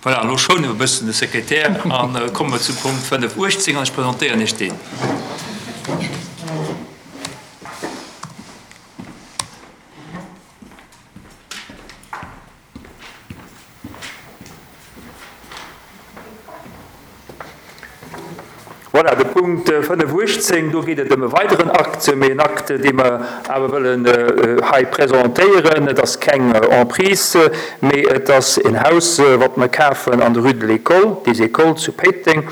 Voilà, elo schoune mer e bëssen de Sekretär a komme mer zum Punkt 5, 18 an ech presentéieren Iech deen. Voilà, de Punkt 5, 18, do geet et ëm e weideren Akt, mee en Akt, dee mer awer wëllen hei presentéieren. Et ass keng Emprise, mee et ass en Haus, wat mer kafen an der Rue de l'École, des Écoles zu Péiteng.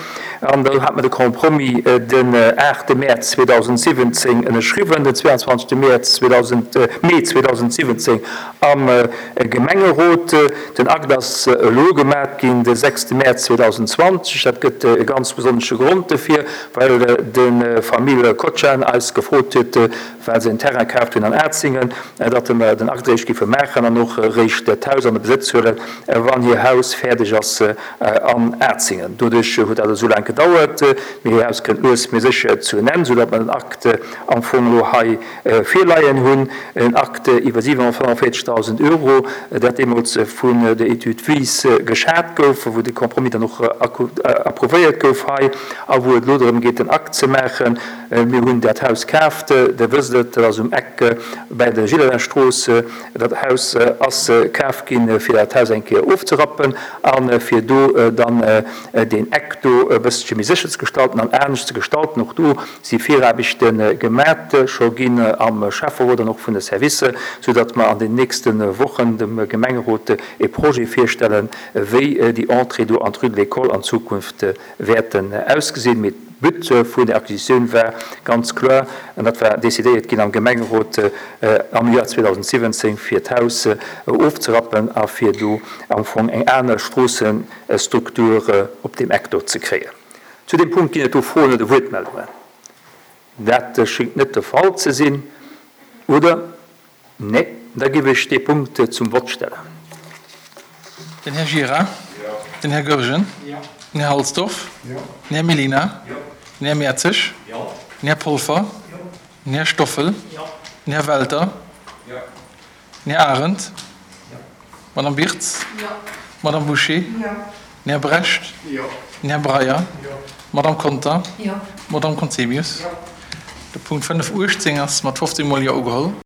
An do hat mer de Compromis den 8 Mäerz 2017 ënnerschriwwen, den 22 Mäerz Mee 2017 am Gemengerot. Den Akt ass elo gemat ginn, de 6 Mäerz 2020. Dat gëtt e ganz besonnesche Grond dofir, well de Famill Kochan eis gefrot huet, well se en Terrain kaaft hunn an Atzingen, datt mer den Akt eréischt géife maachen an och eréischt d'Haus an de Besëtz huelen, wann hir Haus fäerdeg ass an Atzingen. Doduerch huet dat esou laang gedauert, mee hir Haus kënnt lues mee sécher zu en Enn, soudatt mer den Akt am Fong elo hei virleien hunn, en Acte iwwer 745.000 Euro, dat deemools vun der Étude Wies geschat gouf, wou de Compromis dann och approuvéiert gouf hei a wou et elo drëm geet, den Akt ze maachen. Mir hunn dat Haus kaaft, Der wësst et, dat ass um Eck bäi der Gillerlingstrooss. Dat Haus ass kaf ginn, fir dat Haus eng Kéier ofzerappen a fir do dann deen Eck do e bësselche méi sécher ze gestalten an anescht ze gestalten. Och do si Viraarbechte gemat scho ginn am Schäfferot an och vun de Servicer, soudatt mer an den nächste Wochen dem Gemengerot e Projet virstellen, wéi déi Entrée do an d'Rue de l'École an Zukunft wäerten ausgesinn. Mee d'But vun der Acquisitioun war ganz kloer, an dat war decidéiert ginn am Gemengerot am Joer 2017, fir d'Haus ofzerappen a fir do am Fong eng aner Stroossestruktur op deem Eck do ze kréien. Zu deem Punkt ginn et do Froen oder Wuertmeldungen? Dat schéngt net de Fall ze sinn, oder? Nee? Da géif ech dee Punkt zum Vott stellen. Den Här Gira. Den Här Goergen. Den Här Halsdorf. Den Här Mellina. Den Här Mertzig. Den Här Polfer. Den Här Stoffel. Den Här Welter. Den Här Arendt. D'Madame Wirtz. D'Madame Bouché. Den Här Brecht. Den Här Breyer. D'Madame Conter. D'Madame Conzemius. De Punkt 5, 18 ass mat 15 Mol Jo ugeholl.